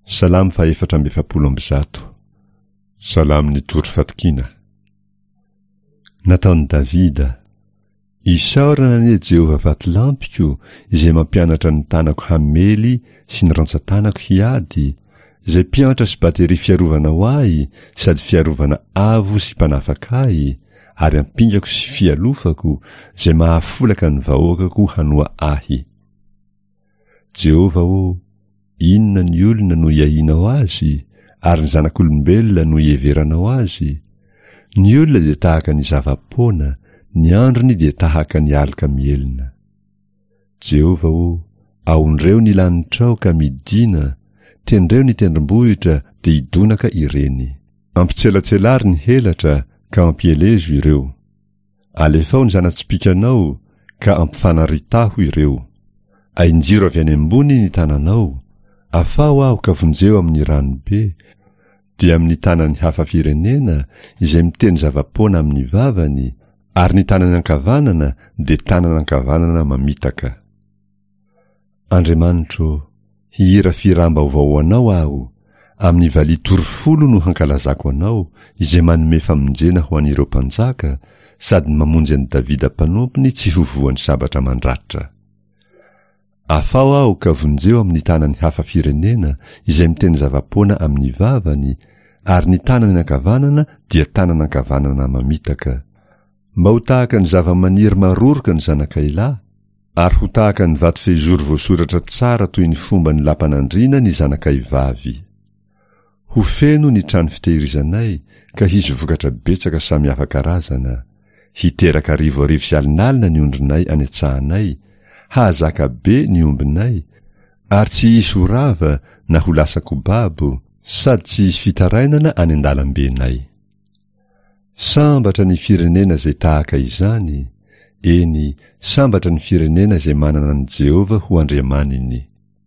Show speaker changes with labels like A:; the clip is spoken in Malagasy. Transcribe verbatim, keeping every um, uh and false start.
A: Salamo fahefatra amby efapolo amby zato. Salamon'ny tory fatokiana. Nataon'i Davida. Isaorana anie Jehovah vatolampiko, izay mampianatra ny tanako hamely sy ny rantsan-tanako hiady, izay mpiantra sy bateria fiarovana ho ahy sady fiarovana avo sy mpanafaka ahy, ary ampingako sy fialofako, izay mahafolaka ny vahoakako hanoa ahy. Jehovah ô, inona ny olona no iahianao azy, ary ny zanak'olombelona no iheveranao azy? Ny olona dia tahaka ny zava-poana, ny androny dia tahaka ny aloka mihelina. Jehovah ô, aondreo ny lanitrao ka midina, tendreo ny tendrombohitra dia hidonaka ireny. Ampitselatselary ny helatra ka ampielezo ireo. Alefao ny zana-tsipìkanao ka ampifanaritaho ireo. Ainjiro avy any ambony ny tananao, afaho aho ka vonjeo amin'ny ranobe, dia amin'ny tanan'ny hafa firenena izay miteny zava-poana amin'ny vavany, ary ny tanany ankavanana dia tanana ankavanana mamitaka. Andriamanitro, hihira fihiram-baovao ho Anao aho, amin'ny valiha tory folo no hankalazako Anao, izay manome famonjena ho an'ireo mpanjaka, sady mamonjy an'i Davida mpanompony tsy ho voan'ny sabatra mandratra. Afaho aho ka vonjeo amin'ny tanan'ny hafa firenena izay miteny zava-poana amin'ny vavany, ary ny tanany ankavanana dia tanana ankavanana mamitaka. Mba ho tahaka ny zava-maniry maroroka ny zanakay lahy, ary ho tahaka ny vato fehizoro voasoratra tsara toy ny fomban'ny lapan'andriana ny zanakay vavy. Ho feno ny trano fitehirizanay ka hisy vokatra betsaka samihafa karazana. Hiteraka arivo arivo sy alinalina ny ondrinay any an-tsahanay, hahazaka be ny ombinay, ary tsy hisy ho rava na ho lasa kobabo, sady tsy hisy fitarainana any an-dalambenay. Sambatra ny firenena izay tahaka izany, eny, sambatra ny firenena izay manana an'i Jehovah ho Andriamaniny.